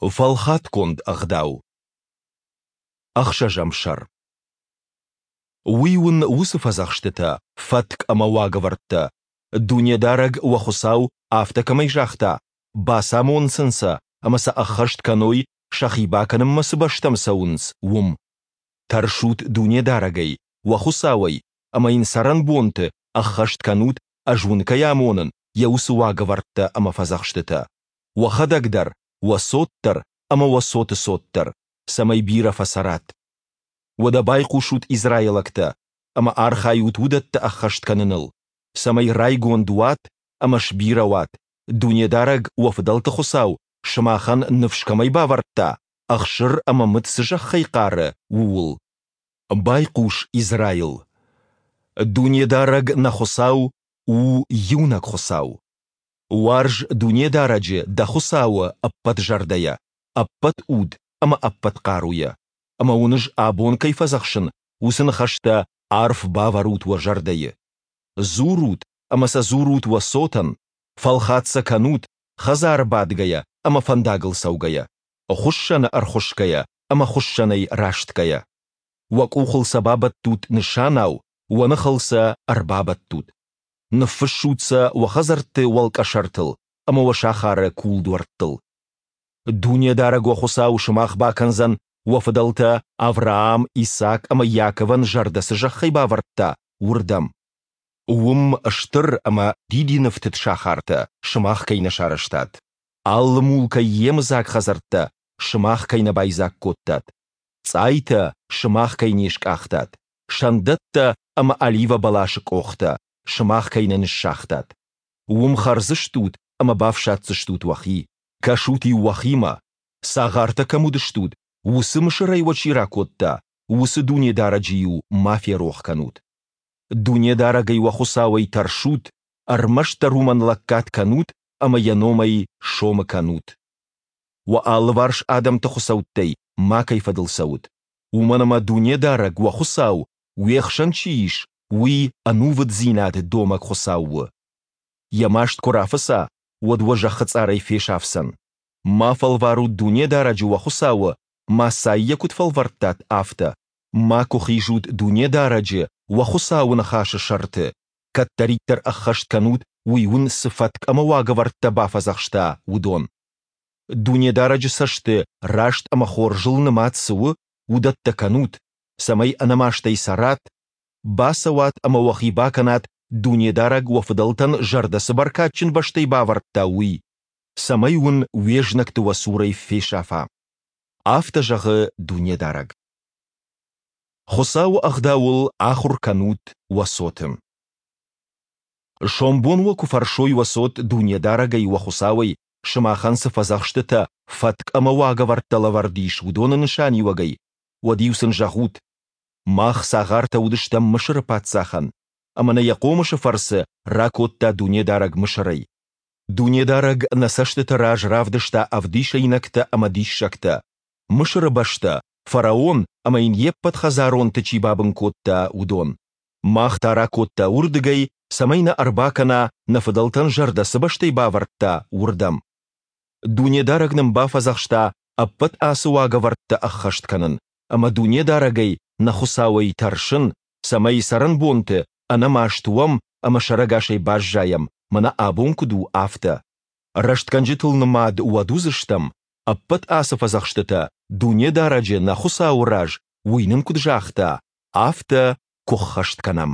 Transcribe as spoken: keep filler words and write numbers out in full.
Фӕлхатгонд ӕгъдау. Ӕхсӕзӕм сӕр. Уый уын уыцы фӕдзӕхстытӕ, фӕтк ӕмӕ уагӕвӕрдтӕ, Дунедарӕг, уӕ Хуыцау, афтӕ кӕмӕй загъта, бацамон сын сӕ ӕмӕ сӕ ӕххӕст кӕной, сӕхи бакӕнынмӕ цы бӕстӕм цӕуынц, уым. Тӕрсут Дунедарӕгӕй, уӕ Хуыцауӕй, ӕмӕ йын цӕрӕнбонты ӕххӕст кӕнут, ӕз уын кӕй амонын, йӕ уыцы уагӕвӕрдтӕ ӕмӕ фӕдзӕхстытӕ. Уӕхӕдӕг дӕр, уӕ цот дӕр ӕмӕ уӕ цоты цот дӕр, цӕмӕй бирӕ фӕцӕрат. Уӕдӕ байхъусут, израилӕгтӕ, ӕмӕ архайут уыдӕттӕ ӕххӕст кӕныныл, цӕмӕй райгонд уат ӕмӕ сбирӕ уат, Дунедарӕг, уӕ фыдӕлты Хуыцау, сымахӕн ныфс кӕмӕй бавӕрдта, ӕхсыр ӕмӕ мыд цы зӕххӕй хъары, ууыл. Байхъус, Израил! Дунедарӕг, нӕ Хуыцау, у иунӕг Хуыцау. Уарз Дунедарӕджы, дӕ Хуыцауы, ӕппӕт зӕрдӕйӕ, ӕппӕт уд ӕмӕ ӕппӕт хъаруйӕ. Ӕмӕ уын ӕз абон кӕй фӕдзӕхсын, уыцы ныхӕстӕ арф бавӕрут уӕ зӕрдӕйы. Дзурут ӕмӕ сӕ дзурут уӕ цотӕн, фӕлхат сӕ кӕнут, хӕдзары бадгӕйӕ ӕмӕ фӕндагыл цӕугӕйӕ, хуыссӕны ӕрхуысгӕйӕ ӕмӕ хуыссӕнӕй растгӕйӕ. Уӕ къухыл сӕ бабӕттут нысанау, уӕ ныхыл сӕ ӕрбабӕттут. Ныффыссут сӕ уӕ хӕдзӕртты уӕлкъӕсӕртыл ӕмӕ уӕ сахары кулдуӕрттыл. Дунедарӕг уӕ Хуыцау сымах бакӕндзӕн, уӕ фыдӕлтӕ Авраам, Исаак ӕмӕ Иаковӕн зӕрдӕ цы зӕххӕй бавӕрдта, уырдӕм. Уым стыр ӕмӕ дидинӕфтыд сахартӕ сымах кӕй нӕ сарӕзтат, алы мулкӕй йемыдзаг хӕдзӕрттӕ сымах кӕй нӕ байдзаг кодтат, цъайтӕ сымах кӕй не скъахтат, сӕндӕттӕ ӕмӕ оливӕ бӕласы къохтӕ сымах кӕй нӕ ныссагътат. Уым хӕрдзыстут ӕмӕ бафсаддзыстут уӕхи. Кӕсут-иу уӕхимӕ, цагъартӕ кӕм уыдыстут, уыцы Мысырӕй уӕ чи ракодта, уыцы Дунедарӕджы-иу ма ферох кӕнут. Дунедарӕгӕй уӕ Хуыцауӕй тӕрсут, ӕрмӕстдӕр уымӕн лӕггад кӕнут ӕмӕ йӕ номӕй сомы кӕнут. Уӕ алыварс адӕмты хуыцӕуттӕй макӕй фӕдыл цӕут, уымӕн ӕмӕ Дунедарӕг, уӕ Хуыцау, уе хсӕн чи ис, уый ӕнувыддзинад домӕг Хуыцау у. Йӕ маст куы рафыца, уӕд уӕ зӕххы цъарӕй фесафдзӕн. Ма фӕлварут Дунедарӕджы уӕ Хуыцауы, Массӕйы куыд фӕлвӕрдтат, афтӕ. Макуы хизут Дунедарӕджы, уӕ Хуыцауы ныхасы сӕрты, кӕддӕриддӕр ӕххӕст кӕнут, уый уын цы фӕтк ӕмӕ уагӕвӕрдтӕ бафӕдзӕхста, уыдон. Дунедарӕджы цӕсты раст ӕмӕ хорзыл нымад цы у, уыдӕттӕ кӕнут, цӕмӕй ӕнӕмастӕй цӕрат, бацӕуат ӕмӕ уӕхи бакӕнат, Дунедарӕг уӕ фыдӕлтӕн зӕрдӕ цы бӕркадджын бӕстӕй бавӕрдта, уый, цӕмӕй уын уе знӕгты уӕ цурӕй фесафа. Афтӕ зӕгъы Дунедарӕг. Хуыцауы ӕгъдауыл ахуыр кӕнут уӕ цоты. Сомбон уӕ куы фӕрсой уӕ цот Дунедарӕгӕй уӕ Хуыцауӕй, сымахӕн цы фӕдзӕхстытӕ, фӕтк ӕмӕ уагӕвӕрдтӕ лӕвӕрд ис, уыдоны нысаниуӕгӕй, уӕд-иу сын зӕгъут: Мах цагъартӕ уыдыстӕм Мысыры паддзахӕн, ӕмӕ нӕ йӕ хъомысы фӕрцы ракодта Дунедарӕг Мысырӕй. Дунедарӕг нӕ цӕстыты раз равдыста ӕвдисӕйнӕгтӕ ӕмӕ диссӕгтӕ, Мысыры бӕстӕ, фараон ӕмӕ йын йе ппӕт хӕдзаронты чи бабын кодта, уыдон. Мах та ракодта уырдыгӕй, цӕмӕй нӕ ӕрбакӕна, нӕ фыдӕлтӕн зӕрдӕ цы бӕстӕй бавӕрдта, уырдӕм. Дунедарӕг нын бафӕдзӕхста ӕппӕт ацы уагӕвӕрдтӕ ӕххӕст кӕнын ӕмӕ Дунедарӕгӕй, нӕ Хуыцауӕй, тӕрсын, цӕмӕй цӕрӕнбонты ӕнӕмаст уӕм ӕмӕ сӕрӕгасӕй баззайӕм, мӕнӕ абон куыд у, афтӕ. Рӕстгӕнджытыл нымад уӕд уыдзыстӕм, ӕппӕт ацы фӕдзӕхстытӕ Дунедарӕджы, нӕ Хуыцауы раз, уый нын куыд загъта, афтӕ куы ххӕст кӕнӕм.